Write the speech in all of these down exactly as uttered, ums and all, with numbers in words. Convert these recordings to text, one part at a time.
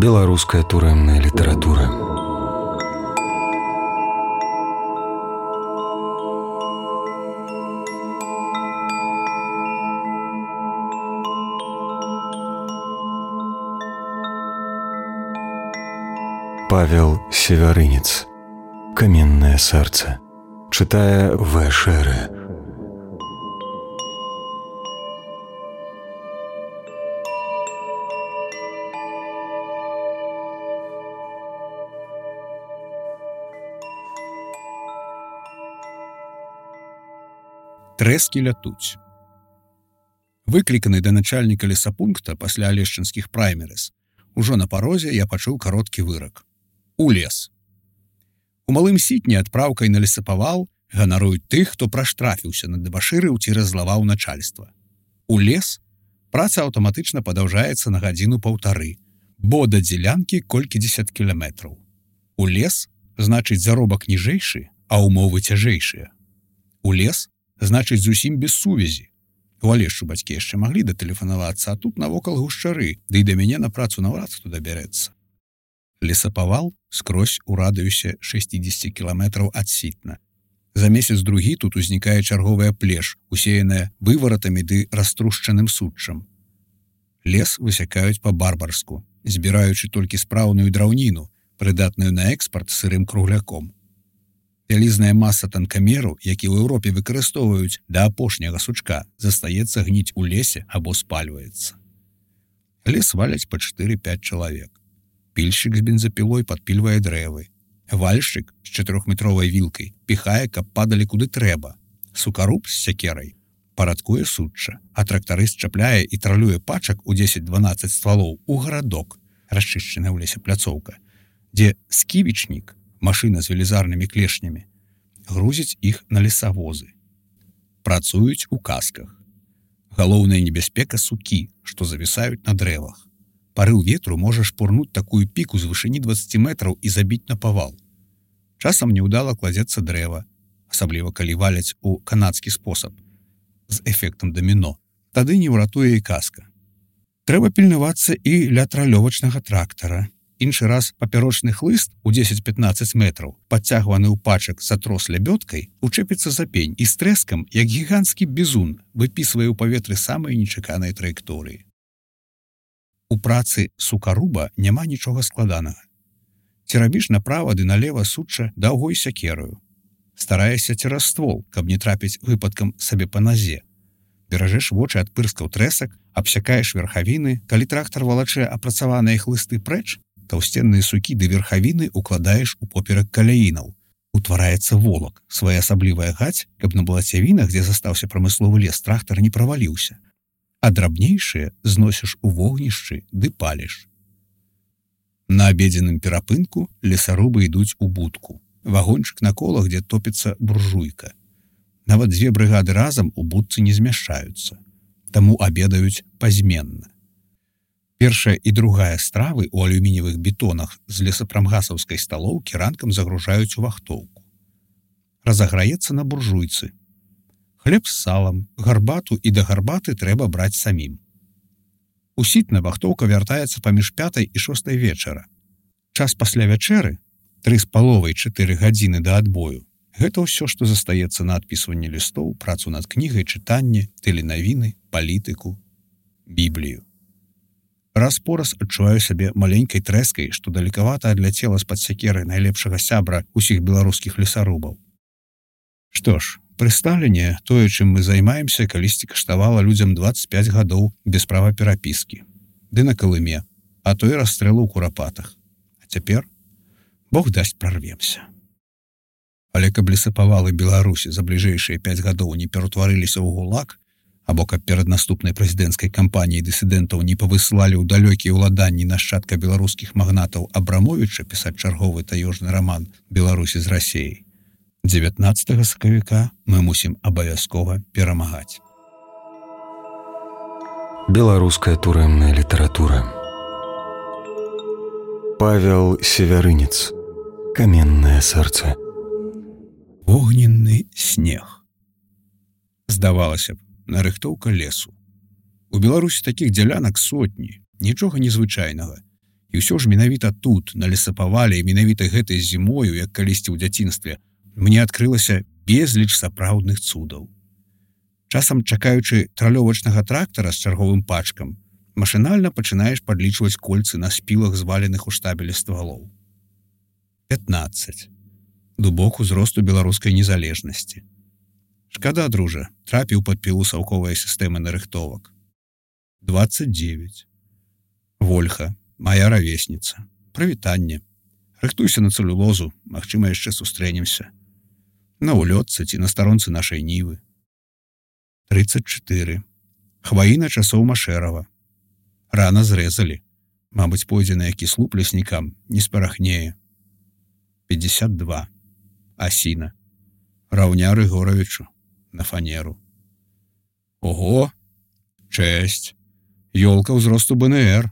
Беларуская турэмная літаратура. Павел Севярынец. Каменное сердце. Читая В. Шеры. Трэскі лятуць. Выкліканы да начальніка лесапункта пасля алешчынскіх праймерыс, ужо на парозе я пачуў кароткі вырак. У лес. У малым сітні адпраўкай на лесапавал ганаруюць тых, хто праштрафіўся на дэбашырыў ці раззлаваў начальства. У лес праца аўтаматычна падаўжаецца на гадзіну-паўтары, бо да дзелянкі колькідзесят кіламетраў. У лес значыць заробак ніжэйшы, а ўмовы цяжэйшыя. У лес значыць зусім без сувязі. У Алешчу бацькі яшчэ маглі датэлефанавацца, а тут навокал гушчары, ды і да мяне на працу наўрад хто дабярэцца. Лесапавал скрозь у радыусе шэсцьдзесят кіламетраў ад сітна. За месяц-другі тут узнікае чарговая плеш, усеяная вываратамі ды раструшчаным суччам. Лес высякаюць па-барбарску, збіраючы толькі спраўную драўніну, прыдатную на экспарт сырым кругляком. Вялізная маса танкамеру, які ў Еўропе выкарыстоўваюць да апошняга сучка, застаецца гніць у лесе або спальваецца. Лес валяць па чатыры-пяць чалавек. Пільшчык з бензапілой падпільвае дрэвы. Вальшчык з чатырохметровай вілкай піхае, каб падалі куды трэба. Сукаруб з сякерай парадкуе сучча, а трактарыст чапляе і тралюе пачак у дзесяць-дванаццаць ствалоў у гарадок, расчышчаная ў лесе пляцоўка, дзе сківічнік, машына з велізарнымі клешнямі, грузіць іх на лесавозы. Працуюць у касках. Галоўная небяспека сукі, што завісаюць на дрэвах. Парыў ветру можа шпурнуць такую піку з вышыні дваццаць метраў і забіць на павал. Часам няўдала кладзецца дрэва, асабліва калі валяць у канадскі спосаб, з эфектам даміно. Тады не ўратуе і каска. Трэба пільнавацца і ля тралёвачнага трактара. Іншы раз папярочны хлыст у дзесяць-пятнаццаць метраў, падцягваны ў пачак за трос лябёдкай, учэпіцца за пень і з трэскам, як гіганцкі бізун, выпісвае ў паветры самыя нечаканыя траекторыі. У працы сукаруба няма нічога складанага. Ці рабіш направа ды налева сучча даўгой сякераю. Стараешся цераз ствол, каб не трапіць выпадкам сабе па назе. Беражэш вочы ад пырскаў трэсак, абсякаеш верхавіны, калі трактар валачэ апрацаваныя хлысты прэч, таўсценныя сукі ды верхавіны укладаеш у поперак каляінаў. Утвараецца волак, своеасаблівая гаць, каб на балацявінах, дзе застаўся прамысловы лес, трактар не праваліўся. А драбнейшыя зносіш у вогнішчы ды паліш. На абедзеным перапынку лесарубы ідуць у будку. Вагончык на колах, дзе топіцца буржуйка. Нават дзве брыгады разам у будцы не змяшчаюцца. Таму абедаюць пазменна. Першая і другая стравы ў алюмініевых бетонах з лесапрамгасаўскай сталоўкі ранкам загружаюць у вахтоўку. Разаграецца на буржуйцы. Хлеб з салам, гарбату і да гарбаты трэба браць самім. У сітна вахтоўка вяртаецца паміж пятай і шостай вечара. Час пасля вячэры, тры з паловай чатыры гадзіны да адбою, гэта ўсё, што застаецца на адпісванне лістоў, працу над кнігай, чытанне, тэленавіны, палітыку, біблію. Раз-пораз адчуваю сябе маленькай трэскай, што далекавата адляцела з-пад сякеры найлепшага сябра ўсіх беларускіх лесарубаў. Што ж, пры Сталіне тое, чым мы займаемся, калісьці каштавала людзям дваццаць пяць гадоў без права перапіскі. Ды на Калыме, а то і расстрэлу ў курапатах. А цяпер, Бог дасць, прарвемся. Але каб лесапавалы Беларусі за бліжэйшыя пяць гадоў не ператварыліся ў гулаг, або каб перад наступнай прэзідэнцкай кампаніяй дысідэнтаў не павысылалі ў далёкія ўладанні нашчадка беларускіх магнатаў Абрамовіча пісаць чарговы таёжны раман «Беларусі з Расіяй», дзевятнаццатага сакавіка мы мусім абавязкова перамагаць. Беларуская турэмная літаратура. Павел Севярынец. Каменное сердце. Огненны снег. Здавалася б, нарыхтоўка лесу. У Беларусі такіх дзялянак сотні, нічога незвычайнага. І ўсё ж менавіта тут, на лесапавале, і менавіта гэтай зімою, як калісьці ў дзяцінстве, мне адкрылася безліч сапраўдных цудаў. Часам, чакаючы тралёвачнага трактара з чарговым пачкам, машынальна пачынаеш падлічваць кольцы на спілах, зваленых у штабелі ствалоў. пятнаццаць. Дубок узросту беларускай незалежнасці. Шкада, дружа, трапіў пад пілу саўковай сістэмы нарыхтовак. дваццаць дзевяць. Вольха, мая равесніца. Прывітанне. Рыхтуйся на цэлюлозу, магчыма, яшчэ сустрэнемся. На улётцы ці на старонцы нашай нівы. трыццаць чатыры. Хваіна часоў Машэрава. Рана зрэзалі. Мабыць, пойдзе на які слуп леснікам, не спарахнее. пятьдесят два. Асіна. Раўня Рыгоравічу. На фанеру. Ого! Чэсць! Ёлка ўзросту бэ эн эр.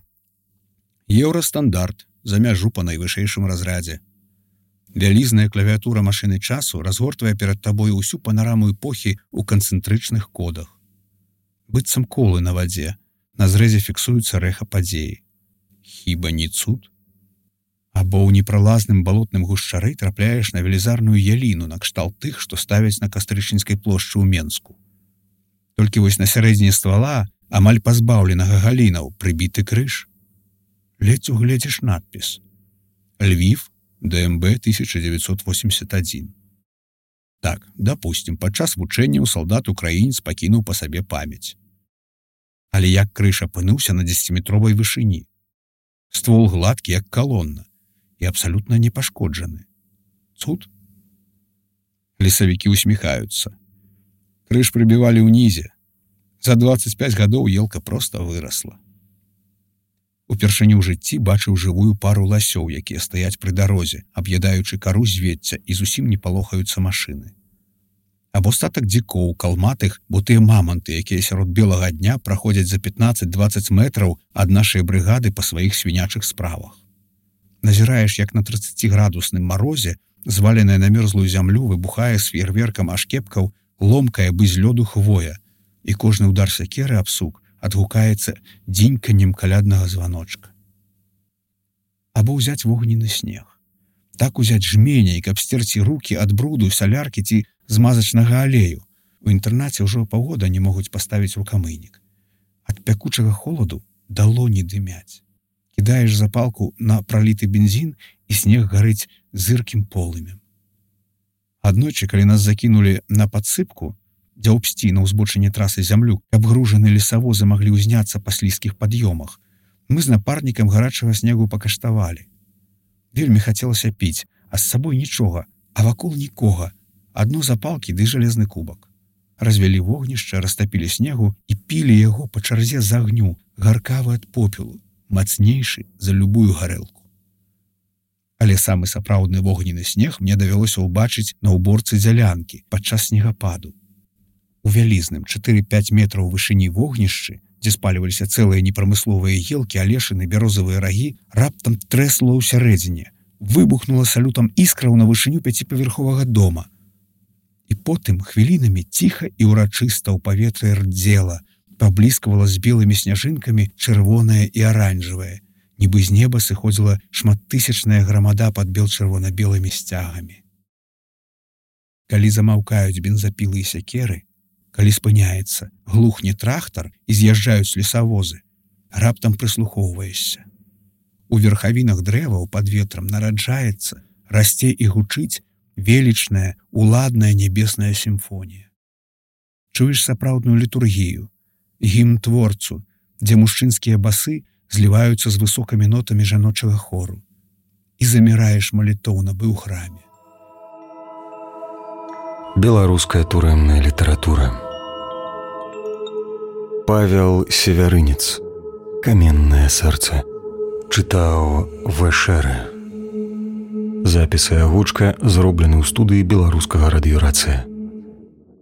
Еўрастандарт. За мяжу па найвышэйшым разрядзе. Вялізная клавіатура машыны часу разгортвае перад табою ўсю панараму эпохі ў канцэнтрычных кодах. Быццам колы на вадзе, на зрэзе фіксуецца рэха падзеі. Хіба не цуд? Або ў непралазным балотным гушчары трапляеш на велізарную яліну накшталт тых, што ставяць на Кастрычніцкай плошчы ў Менску. Толькі вось на сярэдзіне ствала, амаль пазбаўленага галінаў, прыбіты крыж. Ледзь угледзіш надпіс. Львів, дэ эм бэ тысяча дзевяцьсот восемьдесят один. Так, допустим, падчас вучэнняў салдат-украінец пакінуў па сабе памяць. Але як крыж апынуўся на дзесяціметровай вышыні? Ствол гладкі, як калонна, і абсалютна не пашкоджаны. Цуд? Лесавікі усміхаюцца. Крыж прыбівалі ўнізе. За дваццаць пяць гадоў елка проста вырасла. Упершыню ў жыцці бачыў жывую пару ласёў, якія стаяць пры дарозе, аб'ядаючы кару звецця, і зусім не палохаюцца машыны. Або статак дзікоў, калматых, бо тыя маманты, якія сярод белага дня праходзяць за пятнаццаць-дваццаць метраў ад нашай брыгады па сваіх свінячых справах. Назіраеш, як на трыццаціградусным марозе, зваленая на мёрзлую зямлю, выбухае з феерверкам ашкепкаў, ломкая бы з лёду хвоя, і кожны удар сякеры аб сук адгукаецца дзіньканнем каляднага званочка. Або ўзяць вогненны снег. Так узяць жменяй, каб стерці рукі ад бруду, саляркі ці змазачнага алею. У інтэрнаце ўжо паўгода не могуць паставіць рукамыйнік. Ад пякучага холаду далоні дымяць. Кідаеш запалку на праліты бензін, і снег гарыць зыркім полымем. Аднойчы, калі нас закінулі на падсыпку, дзе ўбсці на ўзбочыне трасы зямлю, каб гружаны лесавозы маглі ўзняцца па слізкіх пад'ёмах, мы з напарнікам гарачага снегу пакаштавалі. Вельмі хацелася піць, а з сабой нічога, а вакол нікога. Адно запалкі ды жалезны кубак. Развялі вогнішча, растапілі снегу і пілі яго па чарзе з агню, гаркавы ад попелу, мацнейшы за любую гарэлку. Але самы сапраўдны вогненны снег мне давялося ўбачыць на ўборцы дзялянкі падчас снегападу. У вялізным чатыры-пяць метраў вышыні вогнішчы, дзе спаліваліся цэлыя непрамысловыя елкі, алешыны, бярозавыя рагі, раптам трэсла ў сярэдзіне, выбухнула салютам іскраў на вышыню пяціпавярховага дома. І потым хвілінамі ціха і ўрачыста ў паветры рдзела, пабліскавала з белымі сняжынкамі чырвонае і аранжавае, нібы з неба сыходзіла шматтысячная грамада пад бел-чырвона-белымі сцягамі. Калі замаўкаюць бензапілы і сякеры, калі спыняецца, глухне трактар і з'язджаюць лесавозы, раптам прыслухоўваешся. У верхавінах дрэваў пад ветрам нараджаецца, расце і гучыць велічная, уладная нябесная сімфонія. Чуеш сапраўдную літургію, гімн творцу, дзе мужчынскія басы зліваюцца з высокімі нотамі жаночага хору, і заміраеш малітоўна бы ў храме. Беларуская турэмная літаратура. Павел Севярынец. Каменнае сэрца. Чытаў Вэшэры. Запіс і агучка зроблены ў студыі беларускага радыёрацыя.